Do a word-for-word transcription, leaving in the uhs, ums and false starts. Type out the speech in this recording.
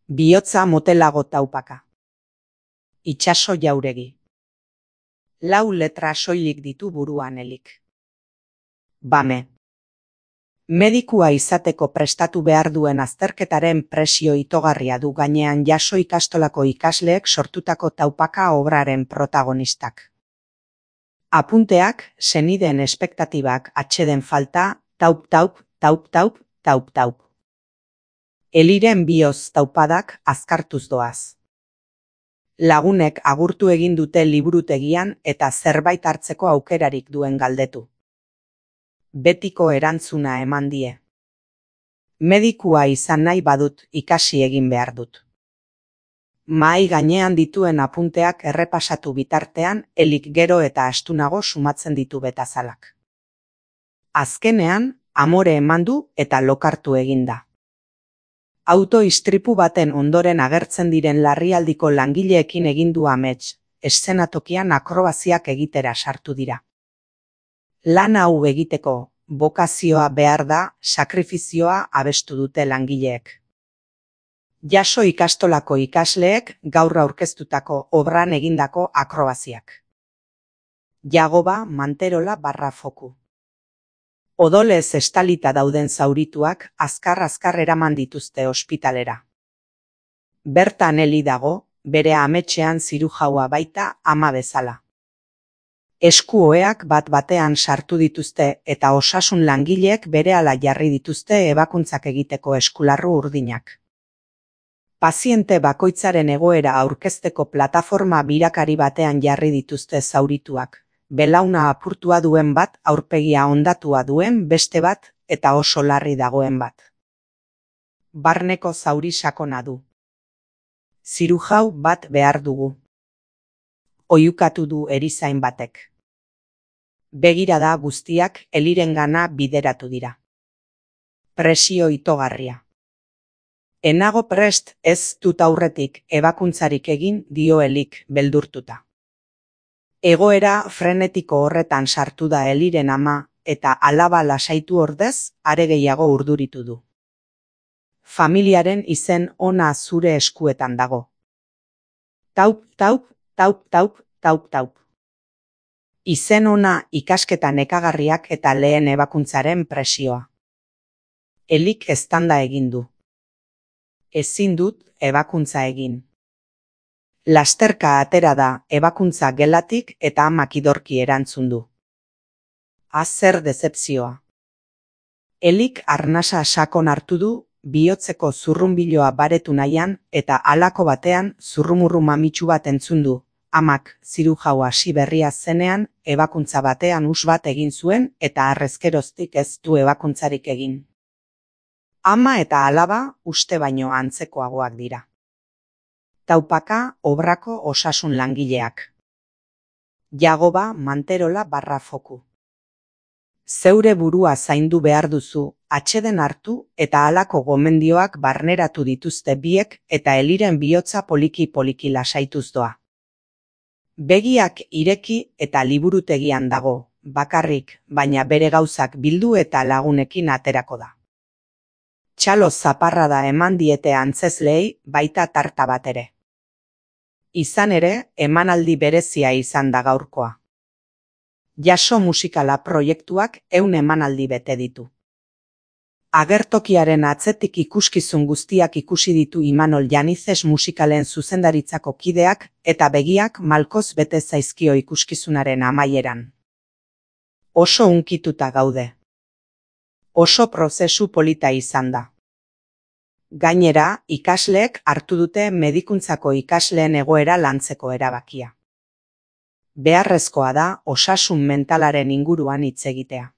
Bihotza motelago taupaka. Itsaso jauregi. Lau letra soilik ditu buruan elik. Bame. Medikua izateko prestatu behar duen azterketaren presio itogarria du gainean jaso ikastolako ikasleek sortutako taupaka obraren protagonistak. Apunteak, senideen espektatibak atxeden falta, taup taup, taup taup, taup taup. Eliren bihotz taupadak azkartuz doaz. Lagunek agurtu egin dute liburutegian eta zerbait hartzeko aukerarik duen galdetu. Betiko erantzuna eman die. Medikua izan nahi badut ikasi egin behar dut. Mahai gainean dituen apunteak errepasatu bitartean elik gero eta astunago sumatzen ditu betazalak. Azkenean, amore eman du eta lokartu eginda. Auto-istripu baten ondoren agertzen diren larrialdiko langileekin egin du amets, eszenatokian akrobaziak egitera sartu dira. Lan hau egiteko, bokazioa behar da, sakrifizioa abestu dute langileek. Jaso ikastolako ikasleek gaur aurkeztutako obran egindako akrobaziak. Jagoba Manterola barra foku. Odolez estalita dauden zaurituak azkar-azkar eraman dituzte ospitalera. Bertan Eli dago, bere ametxean zirujaua baita ama bezala. Eskuoeak bat batean sartu dituzte eta osasun langileek berehala jarri dituzte ebakuntzak egiteko eskularru urdinak. Paziente bakoitzaren egoera aurkezteko plataforma birakari batean jarri dituzte zaurituak. Belauna apurtua duen bat, aurpegia hondatua duen beste bat eta oso larri dagoen bat. Barneko zauri sakona du. Zirujau bat behar dugu. Oihukatu du erizain batek. Begirada guztiak Elirengana bideratu dira. Presio itogarria. Enago prest ez dut aurretik ebakuntzarik egin dio Elik beldurtuta. Egoera frenetiko horretan sartu da Eliren ama eta alaba lasaitu ordez are gehiago urduritu du. Familiaren izen ona zure eskuetan dago. Taup, taup, taup, taup, taup, taup. Izen ona ikasketa nekagarriak eta lehen ebakuntzaren presioa. Elik eztanda egin du. Ezin dut ebakuntza egin. Lasterka atera da ebakuntza gelatik eta amak idorki erantzun du. Azer dezepzioa. Elik arnasa sakon hartu du, bihotzeko zurrunbiloa baretu nahian eta halako batean zurrumurru mamitsu bat entzun du. Amak zirujau hasi berria zenean ebakuntza batean us bat egin zuen eta harrezkeroztik ez du ebakuntzarik egin. Ama eta alaba uste baino antzekoagoak dira. Taupaka obrako osasun langileak. Jagoba Manterola barra foku. Zeure burua zaindu behar duzu, atxeden hartu eta halako gomendioak barneratu dituzte biek eta Eliren bihotza poliki-poliki lasaituz doa. Begiak ireki eta liburutegian dago, bakarrik, baina bere gauzak bildu eta lagunekin aterako da. Txalo zaparrada eman diete antzezleei baita tarta bat ere. Izan ere, emanaldi berezia izan da gaurkoa. Jaso musikala proiektuak ehun emanaldi bete ditu. Agertokiaren atzetik ikuskizun guztiak ikusi ditu Imanol Janizes musikalen zuzendaritzako kideak eta begiak malkoz bete zaizkio ikuskizunaren amaieran. Oso hunkituta gaude. Oso prozesu polita izan da. Gainera, ikasleek hartu dute medikuntzako ikasleen egoera lantzeko erabakia. Beharrezkoa da osasun mentalaren inguruan hitz egitea.